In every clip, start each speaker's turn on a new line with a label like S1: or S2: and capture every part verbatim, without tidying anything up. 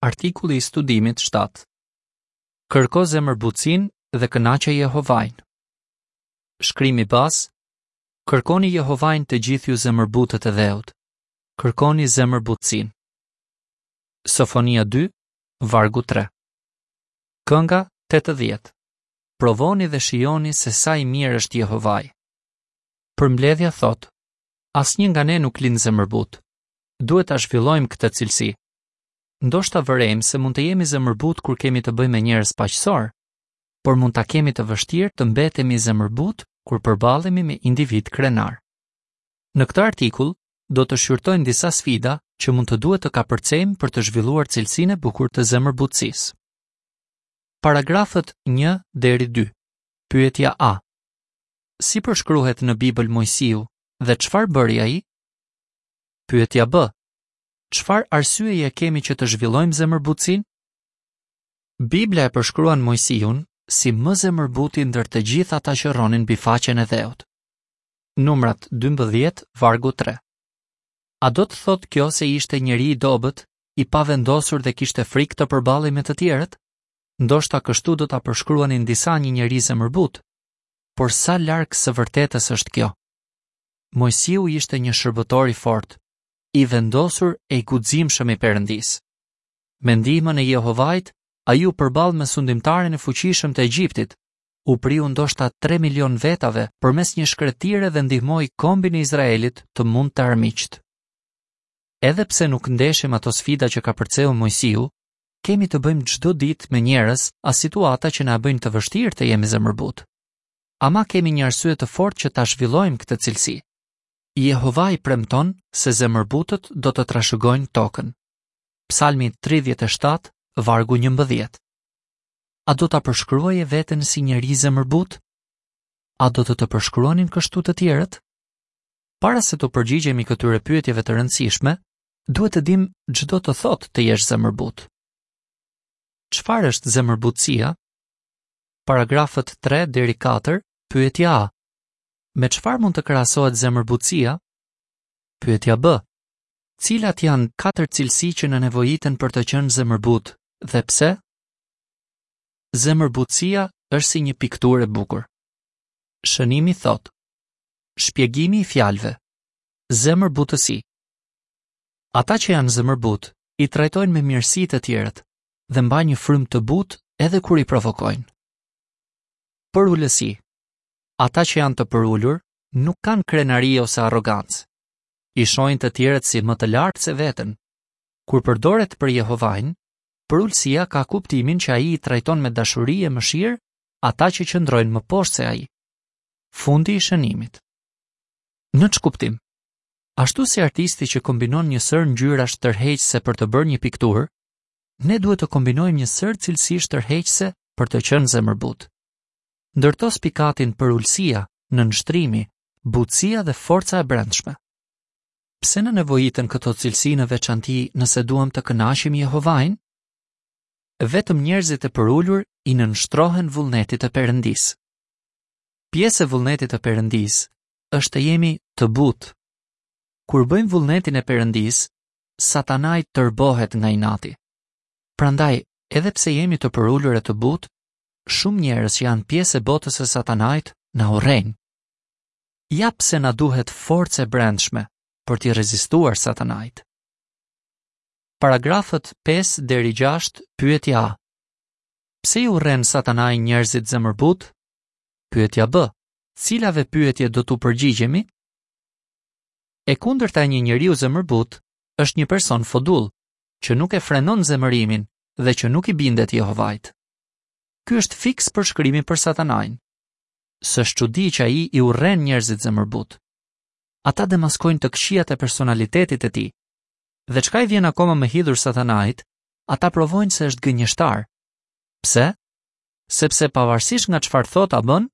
S1: Artikulli i studimit shtatë. Kërko zemërbutësinë dhe kënaqe Jehovain. Shkrimi bazë: Kërkoni Jehovain të gjithë ju zemërbutët e dheut. Kërkoni zemërbutësinë. Sofonia dy, vargu tre. Kënga tetëdhjetë. Provoni dhe shijoni se sa i mirë është Jehovai. Përmbledhja thotë: Asnjë nga ne nuk lind zemërbut. Duhet ta zhvillojmë këtë cilësi. Ndoshta vërejmë se mund të jemi zemërbut kur kemi të bëjmë me njerëz paqësor, por mund ta kemi të vështirë të mbetemi zemërbut kur përballemi me individ krenar. Në këtë artikull do të shqyrtojmë disa sfida që mund të duhet të kapërcejmë për të zhvilluar cilësinë e bukur të zemërbutësisë. Paragrafët një deri dy. Pyetja A. Si përshkruhet në Bibël Moisiu dhe çfarë bëri ai? Pyetja B. Çfarë arsyeje kemi që të zhvillojmë zemërbutësinë? Bibla e përshkruan Moisiun si më zemërbuti ndër të gjithë ata që rronin mbi faqen e dheut. Numrat dymbëdhjetë, vargu tre. A do të thotë kjo se ishte njeri i dobët, i pavendosur dhe kishte frikë të përballej me të tjerët? Ndoshta kështu do ta përshkruanin disa një njeri zemërbut. Por sa larg së vërtetës është kjo? Moisiu ishte një shërbëtor i fortë, i vendosur e i guximshëm i Perëndisë. Me ndihmën e Jehovait, ai u përball me sundimtarin e fuqishëm të Egjiptit, u priu ndoshta tre milion vetave përmes një shkretire dhe ndihmoi kombin e Izraelit të mund të armiqt. Edhe pse nuk ndeshim ato sfida që ka përceu Moisiu, kemi të bëjmë çdo ditë me njerëz a situata që na bëjnë të vështirë të jemi zemërbut. Ama kemi një arsye të fortë që ta zhvillojmë këtë cilësi. Jehovai premton se zemërbutët do të trashëgojnë tokën. Psalmi tridhjetë e shtatë, vargu njëmbëdhjetë. A do ta përshkruaje veten si njeri zemërbut? A do të të përshkruanin kështu të tjerët? Para se të përgjigjemi këtyre pyetjeve të rëndësishme, duhet të dim ç'do të thotë të jesh zemërbut. Çfarë është zemërbutësia? Paragrafët tre deri katër, pyetja A. Me çfarë mund të krahasohet zemërbutësia? Pyetja B. Cilat janë katër cilësi që na nevojiten për të qenë zemërbut dhe pse? Zemërbutësia është si një pikturë e bukur. Shënimi thotë: Shpjegimi i fjalëve. Zemërbutësi. Ata që janë zemërbut i trajtojnë me mirësi të tjerët dhe mbajnë një frymë të butë edhe kur i provokojnë. Përulësi. Ata që janë të përulur nuk kanë krenari ose arrogancë. I shohin të tjerët si më të lartë se veten. Kur përdoret për Jehovain, përulësia ka kuptimin që ai i trajton me dashuri e mëshirë ata që qëndrojnë më poshtë se ai. Fundi i shënimit. Në ç'kuptim? Ashtu si artisti që kombinon një sërë ngjyrash tërheqëse për të bërë një pikturë, ne duhet të kombinojmë një sërë cilësish tërheqëse për të qenë zemërbut. Ndërto spikatin përulësia, nënshtrimi, butësia dhe forca e brendshme. Pse na nevojiten këto cilësi në veçanti nëse duam të kënaqim Jehovain? Vetëm njerëzit e përulur i nënshtrohen vullnetit të Perëndisë. Pjesë e vullnetit të Perëndisë është të jemi të butë. Kur bëjmë vullnetin e Perëndisë, Satanai tërbohet nga inati. Prandaj, edhe pse jemi të përulur e të butë, shumë njerëz që janë pjesë e botës së Satanait na urrejnë. Ja pse na duhet forcë e brendshme për t'i rezistuar Satanait. Paragrafët pesë deri gjashtë, pyetja A. Pse i urren Satanai njerëzit zemërbut? Pyetja B. Cilave pyetje do t'u përgjigjemi? E kundërta e një njeriu zemërbut është një person fodull, që nuk e frenon zemërimin dhe që nuk i bindet Jehovait. Ky është fiks përshkrimi për Satanain. S'është çudi që ai i urren njerëzit zemërbut. Ata demaskojnë të këqijat e personalitetit të tij. Dhe çka i vjen akoma më hidhur Satanait, ata provojnë se është gënjeshtar. Pse? Sepse pavarësisht nga çfarë thot a bën,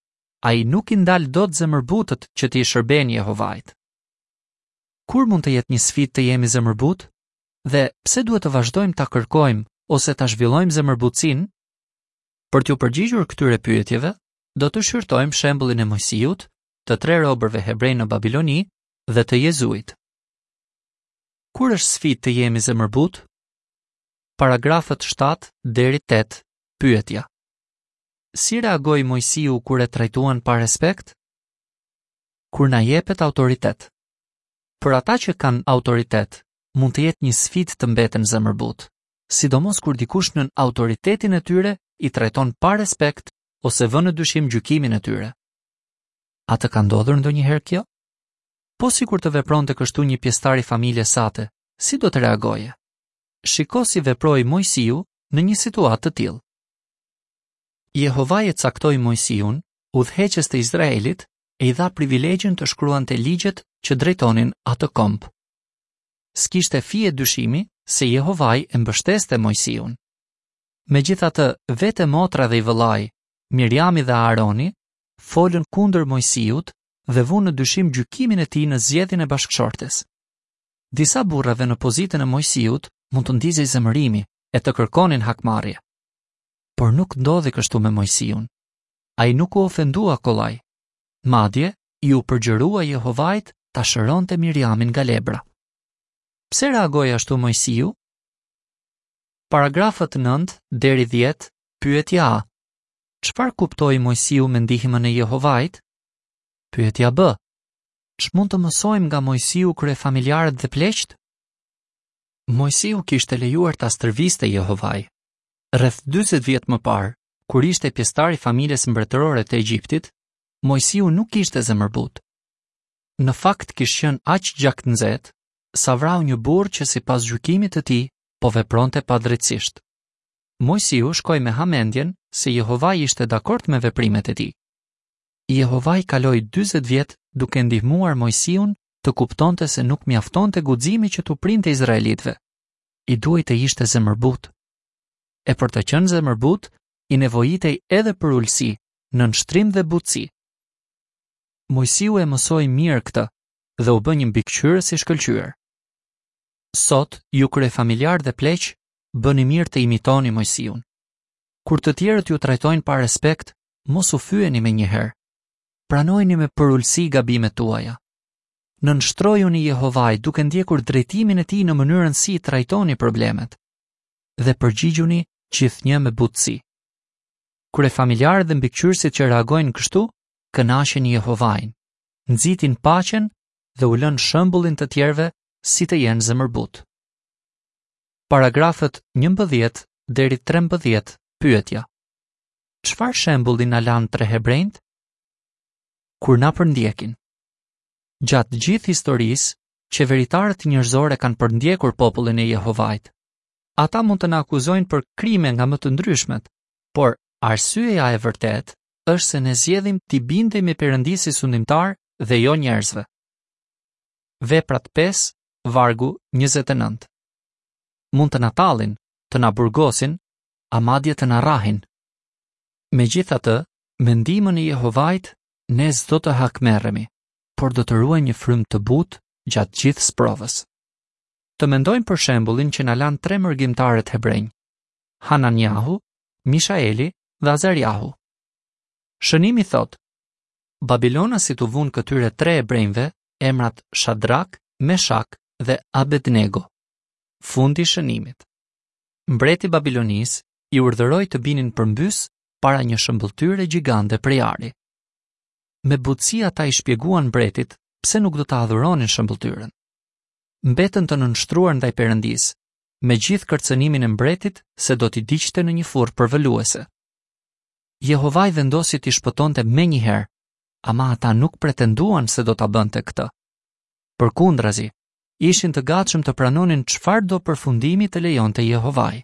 S1: ai nuk i ndal dot zemërbutët që t'i shërbejnë Jehovait. Kur mund të jetë një sfidë të jemi zemërbut? Dhe pse duhet të vazhdojmë ta kërkojmë ose ta zhvillojmë zemërbutësinë? Për t'ju përgjigjur këtyre pyetjeve, do të shqyrtojmë shembullin e Moisiut, të tre robërve hebrej në Babiloni dhe të Jezuit. Kur është sfidë të jemi zemërbut? Paragrafët shtatë deri tetë, pyetja. Si reagoi Moisiu kur e trajtuan pa respekt? Kur na jepet autoritet. Për ata që kanë autoritet, mund të jetë një sfidë të mbeten zemërbutë, sidomos kur dikush nën autoritetin e tyre i trajton pa respekt ose vë në dyshim gjykimin e tyre. A të ka ndodhur ndonjëherë kjo? Po sikur të vepronte kështu një pjesëtar i familjes sate, si do të reagoje? Shiko si veproi Moisiu në një situatë të tillë. Jehovai e caktoi Moisiun, udhëheqës të Izraelit, e i dha privilegjin të shkruante ligjet që drejtonin atë komb. S'kishte fije dyshimi se Jehovai e mbështeste Moisiun. Megjithatë, vetë motra dhe i vëllai, Miriami dhe Aaroni, folën kundër Moisiut dhe vunë në dyshim gjykimin e tij në zgjedhjen e bashkëshortes. Disa burrave në pozitën e Moisiut mund të ndizej zemërimi e të kërkonin hakmarrje. Por nuk ndodhi kështu me Moisiun. Ai nuk u ofendua kollaj. Madje, iu përgjërua Jehovait ta shëronte Miriamin nga lebra. Pse reagoi ashtu Moisiu? Paragrafët nëntë deri dhjetë, pyetja A. Çfarë kuptoi Moisiu me ndihmën e Jehovait? Pyetja B. Ç'mund të mësojmë nga Moisiu kryefamiljarët dhe pleqtë? Moisiu kishte lejuar ta stërviste Jehovai. Rreth dyzet vjet më parë, kur ishte pjesëtar i familjes mbretërore të Egjiptit, Moisiu nuk ishte zemërbutë. Në fakt kish qenë aq gjaknxehtë sa vrau një burrë që sipas gjykimit të tij po vepronte padrejtësisht. Moisiu shkoi me hamendjen se Jehovai ishte dakord me veprimet e tij. Jehovai kaloi dyzet vjet duke ndihmuar Moisiun të kuptonte se nuk mjaftonte guximi që t'u printe izraelitëve. I duhej të ishte zemërbutë. E për të qenë zemërbutë, i nevojitej edhe përulësi, nënshtrim dhe butësi. Moisiu e mësoi mirë këtë dhe u bë një mbikëqyrës i shkëlqyer. Sot, ju kryefamiljar dhe pleq, bëni mirë të imitoni Moisiun. Kur të tjerët ju trajtojnë pa respekt, mos u fyeni menjëherë. Pranojini me përulësi gabimet tuaja. Nënshtrojuni Jehovait duke ndjekur drejtimin e tij në mënyrën si i trajtoni problemet dhe përgjigjuni gjithnjë me butësi. Kryefamiljarët dhe mbikëqyrësit që reagojnë kështu, kënaqin Jehovain, nxitin paqen dhe u lënë shembullin të tjerëve si të jenë zemërbutë. Paragrafët njëmbëdhjetë deri trembëdhjetë, pyetja. Çfarë shembulli na lanë tre hebrejt? Kur na përndjekin. Gjatë gjithë historisë, qeveritarët njerëzore kanë përndjekur popullin e Jehovait. Ata mund të na akuzojnë për krime nga më të ndryshmet, por arsyeja e vërtetë është se ne zgjedhim t'i bindemi Perëndisë si sundimtar dhe jo njerëzve. Veprat pesë, vargu njëzet e nëntë. Mund të na tallin, të na burgosin, a madje të na rrahin. Megjithatë, me ndihmën e Jehovait, ne s'do të hakmerremi, por do të ruajmë një frymë të butë gjatë gjithë sprovës. Të mendojmë për shembullin që na lanë tre mërgimtarët hebrenj, Hananiahu, Mishaeli dhe Azariahu. Shënimi thotë, Babilonasit u vunë këtyre tre hebrejve emrat Shadrak, Meshak dhe Abednego. Fundi i shënimit. Mbreti i Babilonisë i urdhëroi të binin përmbys para një shëmbëlltyre gjigande prej ari. Me butësi ata i shpjeguan mbretit pse nuk do ta adhuronin shëmbëlltyrën. Mbetën të nënshtruar ndaj Perëndisë, me gjithë kërcënimin e mbretit se do t'i diqte në një furrë përvëluese. Jehovai vendosi t'i shpëtonte menjëherë, ama ata nuk pretenduan se do ta bënte këtë. Përkundrazi, ishin të gatshëm të pranonin çfarëdo përfundimi të lejonte Jehovai.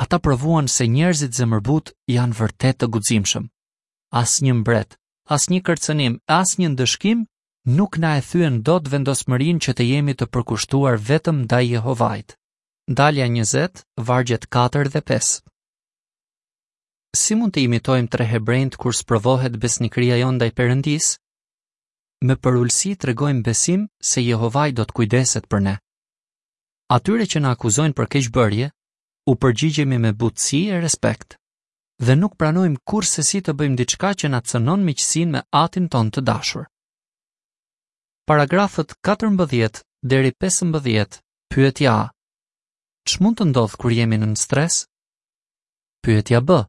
S1: Ata provuan se njerëzit zemërbutë janë vërtet të guximshëm. Asnjë mbret, asnjë kërcënim, asnjë ndëshkim nuk na e thyen dot vendosmërinë që të jemi të përkushtuar vetëm ndaj Jehovait. Dalja njëzet, vargjet katër dhe pesë. Si mund të imitojmë tre hebrejt kur sprovohet besnikëria jonë ndaj Perëndisë? Me përulësi tregojmë besim se Jehovai do të kujdeset për ne. Atyre që na akuzojnë për keqbërje, u përgjigjemi me butësi e respekt dhe nuk pranojmë kurrsesi të bëjmë diçka që na cënon miqësinë me Atin ton të dashur. Paragrafët katërmbëdhjetë deri pesëmbëdhjetë, pyetja A. Ç'mund të ndodhë kur jemi nën stres? Pyetja B.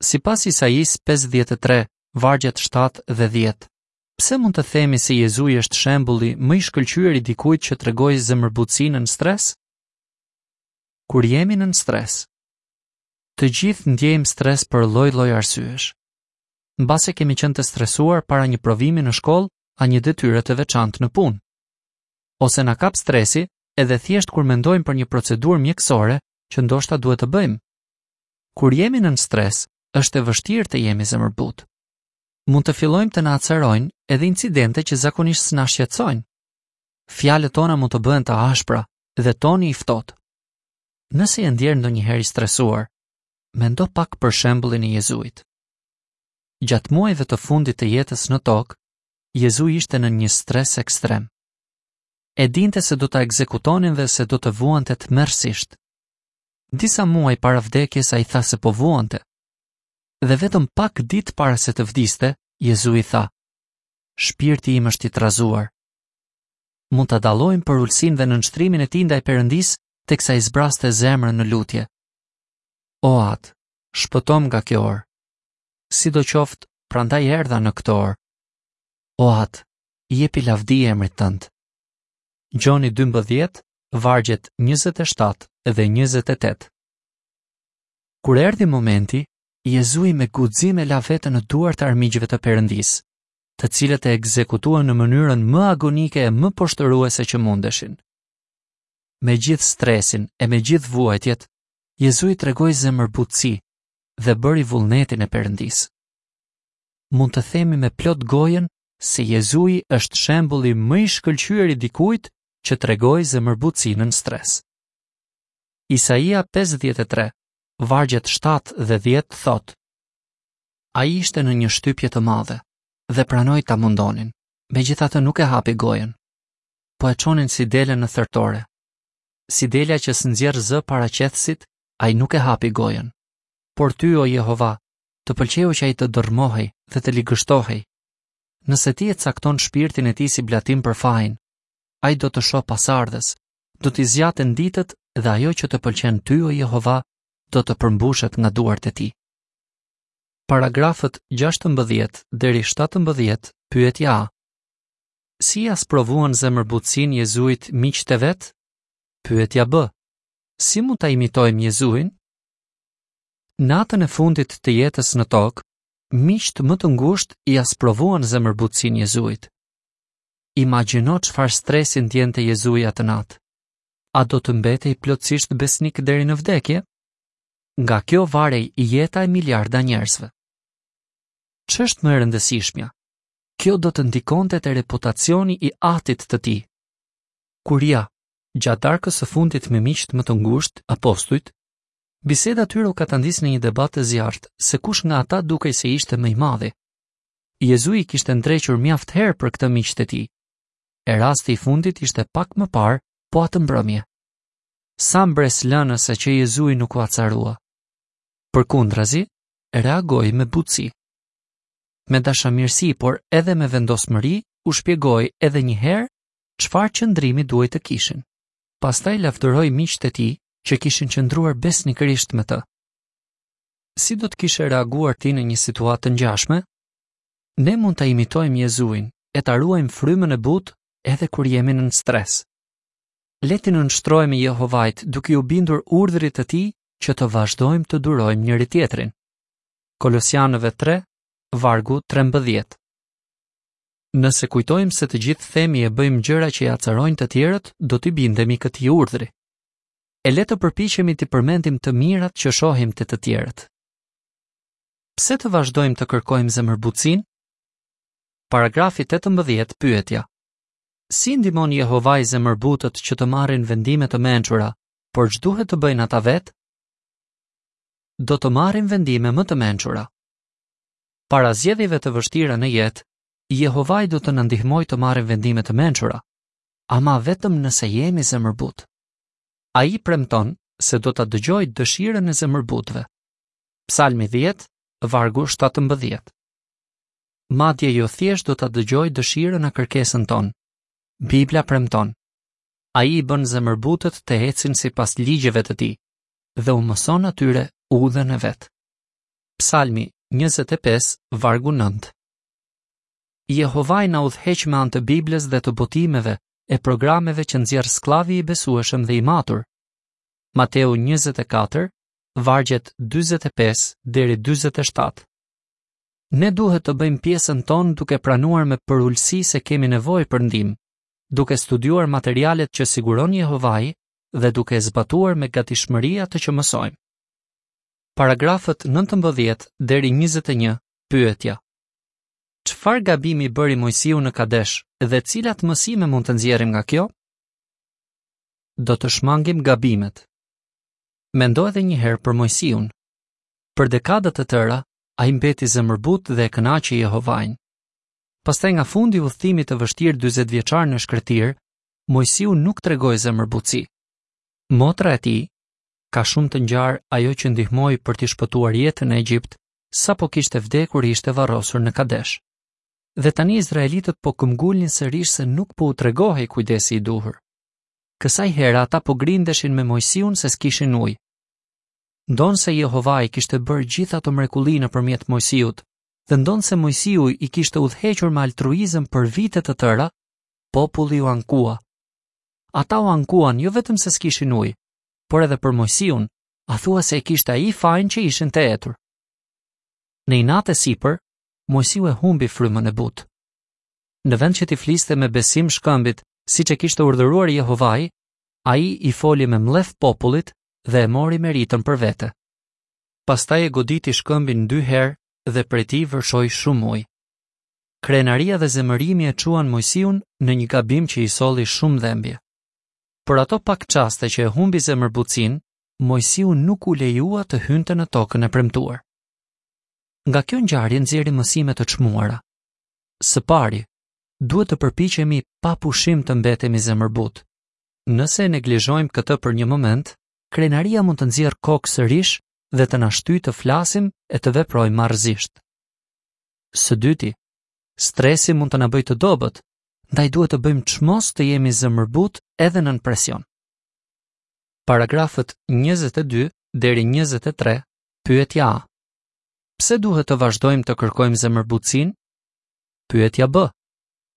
S1: Sipas Isaisë pesëdhjetë e tre, vargjet shtatë dhe dhjetë, pse mund të themi se Jezui është shembulli më i shkëlqyer i dikujt që tregoi zemërbutësi nën stres? Kur jemi nën stres, të gjithë ndjejmë stres për lloj-lloj arsyesh. Mbase kemi qenë të stresuar para një provimi në shkollë a një detyre të veçantë në punë. Ose na kap stresi edhe thjesht kur mendojmë për një procedurë mjekësore që ndoshta duhet të bëjmë. Kur jemi nën stres, është e vështirë të jemi zemërbutë. Mund të fillojmë të na acarojnë edhe incidente që zakonisht s'na shqetësojnë. Fjalët tona mund të bëhen të ashpra dhe toni i ftohtë. Nëse je ndjerë ndonjëherë i stresuar, mendo pak për shembullin e Jezuit. Gjatë muajve të fundit të jetës në tokë, Jezui ishte në një stres ekstrem. E dinte se do ta ekzekutonin dhe se do të vuante tmerrësisht. Disa muaj para vdekjes ai tha se po vuante. Dhe vetëm pak ditë para se të vdiste, Jezui tha: Shpirti im është i trazuar. Mund ta dallojmë përulësinë dhe nënshtrimin e tij ndaj Perëndisë teksa i zbraste zemrën në lutje. O Atë, shpëtom nga kjo orë. Sidoqoftë, prandaj erdha në këtë orë. O Atë, jepi lavdi emrit tënd. Gjoni dymbëdhjetë, vargjet njëzet e shtatë dhe njëzet e tetë. Kur erdhi momenti, Jezui me guxim e la veten në duart e armiqve të Perëndisë, të cilët e ekzekutuan në mënyrën më agonike e më poshtëruese që mundeshin. Me gjithë stresin e me gjithë vuajtjet, Jezui tregoi zemërbutësi dhe bëri vullnetin e Perëndisë. Mund të themi me plot gojën se Jezui është shembulli më i shkëlqyer i dikujt që tregoi zemërbutësi nën stres. Isaia pesëdhjetë e tre, vargjet shtatë dhe dhjetë thotë: Ai ishte në një shtypje të madhe dhe pranoi ta mundonin, megjithatë nuk e hapi gojën. Po e çonin si dele në thertore. Si delja që s'nxjerr zë para qethësit, ai nuk e hapi gojën. Por ty, o Jehova, të pëlqeu që ai të dërrmohej dhe të ligështohej. Nëse ti e cakton shpirtin e tij si blatim për fajin, ai do të shohë pasardhës, do t'i zgjaten ditët dhe ajo që të pëlqen ty, o Jehova, do të përmbushet nga duart e tij. Paragrafët gjashtëmbëdhjetë deri shtatëmbëdhjetë, pyetja A. Si ja sprovuan zemërbutësinë Jezuit miqtë e vet? Pyetja B. Si mund ta imitojmë Jezuin? Natën e fundit të jetës në tokë, miqtë më të ngushtë ja sprovuan zemërbutësinë Jezuit. Imagjino çfarë stresi ndjente Jezui atë natë. A do të mbetej plotësisht besnik deri në vdekje? Nga kjo varej jeta e miliarda njerëzve. Ç'është më e rëndësishmja? Kjo do të ndikonte te reputacioni i atit të tij. Kur ja, gjatë darkës së fundit me miqtë më të ngushtë, apostujt, biseda tyre u katandis në një debat të zjarrt se kush nga ata dukej se ishte më i madhi. Jezui kishte ndrequr mjaft herë për këtë miqtë e tij. E rasti i fundit ishte pak më parë, po atë mbrëmje. Sa mbresëlënëse që Jezui nuk u acarua. Përkundrazi, reagoi me butësi. Me dashamirësi, por edhe me vendosmëri, u shpjegoi edhe një herë çfarë qëndrimi duhej të kishin. Pastaj lavdëroi miqtë e tij që kishin qëndruar besnikërisht me të. Si do të kishe reaguar ti në një situatë të ngjashme? Ne mund ta imitojmë Jezuin e ta ruajmë frymën e butë edhe kur jemi nën stres. Le t'i nënshtrohemi Jehovait duke iu bindur urdhrit të tij që të vazhdojmë të durojmë njëri tjetrin. Kolosianëve tre, vargu trembëdhjetë. Nëse kujtojmë se të gjithë themi e bëjmë gjëra që i acarojnë të tjerët, do t'i bindemi këtij urdhri. E le të përpiqemi t'i përmendim të mirat që shohim te të tjerët. Pse të vazhdojmë të kërkojmë zemërbutësinë? Paragrafi tetëmbëdhjetë, pyetja. Si ndihmon Jehovai zemërbutët që të marrin vendime të mençura, por ç'duhet të bëjnë ata vetë? Do të marrin vendime më të mençura. Para zgjedhjeve të vështira në jetë, Jehovai do të na ndihmojë të marrim vendime të mençura, ama vetëm nëse jemi zemërbut. Ai premton se do ta dëgjojë dëshirën e zemërbutëve. Psalmi dhjetë, vargu shtatëmbëdhjetë. Madje jo thjesht do ta dëgjojë dëshirën a kërkesën tonë. Bibla premton: Ai i bën zemërbutët të ecin sipas ligjeve të tij dhe u mëson atyre udhën e vet. Psalmi njëzet e pesë, vargu nëntë. Jehovai na udhëheq me anë të Biblës dhe të botimeve e programeve që nxjerr skllavi i besueshëm dhe i matur. Mateu njëzet e katër, vargjet dyzet e pesë deri dyzet e shtatë. Ne duhet të bëjmë pjesën tonë duke pranuar me përulësi se kemi nevojë për ndihmë, duke studiuar materialet që siguron Jehovai dhe duke e zbatuar me gatishmëri atë që mësojmë. Paragrafët nëntëmbëdhjetë deri njëzet e një, pyetja. Çfarë gabimi bëri Moisiu në Kadesh dhe cilat mësime mund të nxjerrim nga kjo? Do të shmangim gabimet. Mendo edhe një herë për Moisiun. Për dekada të tëra, ai mbeti zemërbut dhe e kënaqi Jehovain. Pastaj nga fundi i udhëtimit të vështirë dyzet vjeçar në shkretir, Moisiu nuk tregoi zemërbutësi. Motra e tij, ka shumë të ngjarë ajo që ndihmoi për t'i shpëtuar jetën në Egjipt, sapo kishte vdekur ishte varrosur në Kadesh. Dhe tani izraelitët po këmbgulnin sërish se nuk po u tregohej kujdesi i duhur. Kësaj here ata po grindeshin me Moisiun se s'kishin ujë. Ndonse Jehovai kishte bërë gjithë ato mrekulli nëpërmjet Moisiut, dhe ndonse Moisiu i kishte udhëhequr me altruizëm për vite të tëra, populli u ankua. Ata u ankuan jo vetëm se s'kishin ujë, por edhe për Moisiun, a thua se e kishte ai fajin që ishin të etur. Në inat e sipër, Moisiu e humbi frymën e butë. Në vend që t'i fliste me besim shkëmbit, siç e kishte urdhëruar Jehovai, ai i foli me mllef popullit dhe e mori meritën për vete. Pastaj e goditi shkëmbin dy herë dhe prej tij vërshoi shumë ujë. Krenaria dhe zemërimi e çuan Moisiun në një gabim që i solli shumë dhembje. Për ato pak çaste që e humbi zemërbutësinë, Moisiu nuk u lejua të hynte në tokën e premtuar. Nga kjo ngjarje nxjerrim mësime të çmuara. Së pari, duhet të përpiqemi pa pushim të mbetemi zemërbut. Nëse e neglizhojmë këtë për një moment, krenaria mund të nxjerrë kokë sërish dhe të na shtyjë të flasim e të veprojmë marrëzisht. Së dyti, stresi mund të na bëjë të dobët, ndaj duhet të bëjmë çmos të jemi zemërbut edhe nën presion. Paragrafët njëzet e dy deri njëzet e tre, pyetja A. Pse duhet të vazhdojmë të kërkojmë zemërbutësinë? Pyetja B.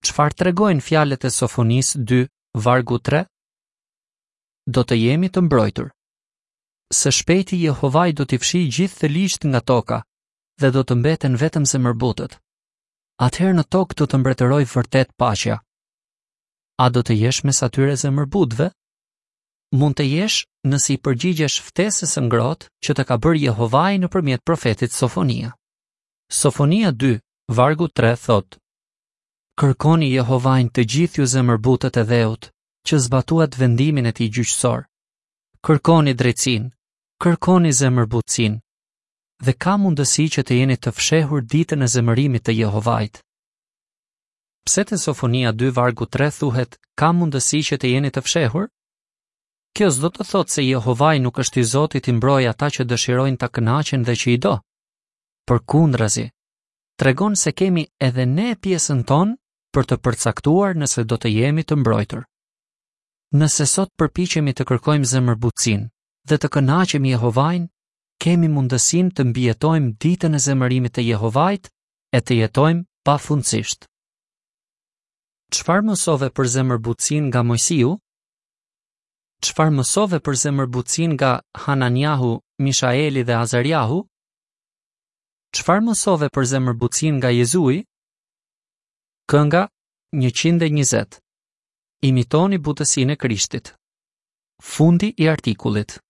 S1: Çfarë tregojnë fjalët e Sofonisë dy, vargu tre? Do të jemi të mbrojtur. Së shpejti Jehovai do t'i fshijë gjithë të ligjt nga toka dhe do të mbeten vetëm zemërbutët. Atëherë në tokë do të mbretërojë vërtet paqja. A do të jesh mes atyre zemërbutëve? Mund të jesh nëse i përgjigjesh ftesës së ngrohtë që të ka bërë Jehovai nëpërmjet profetit Sofonia. Sofonia dy, vargu tre thotë: Kërkoni Jehovain të gjithë ju zemërbutët e dheut, që zbatuat vendimin e tij gjyqësor. Kërkoni drejtësinë, kërkoni zemërbutësinë, dhe ka mundësi që të jeni të fshehur ditën e zemërimit të Jehovait. Pse te Sofonia dy vargu tre thuhet ka mundësi që të jeni të fshehur? Kjo s'do të thotë se Jehovai nuk është i Zoti t'i mbrojë ata që dëshirojnë ta kënaqin dhe që i do. Përkundrazi, tregon se kemi edhe ne pjesën tonë për të përcaktuar nëse do të jemi të mbrojtur. Nëse sot përpiqemi të kërkojmë zemërbutësinë dhe të kënaqim Jehovain, kemi mundësinë të mbijetojmë ditën e zemërimit të Jehovait e të jetojmë pafundësisht. Çfarë mësove për zemërbutësinë nga Moisiu? Çfarë mësove për zemërbutësinë nga Hananiahu, Mishaeli dhe Azariahu? Çfarë mësove për zemërbutësinë nga Jezui? Kënga njëqind e njëzet. Imitoni butësinë e Krishtit. Fundi i artikullit.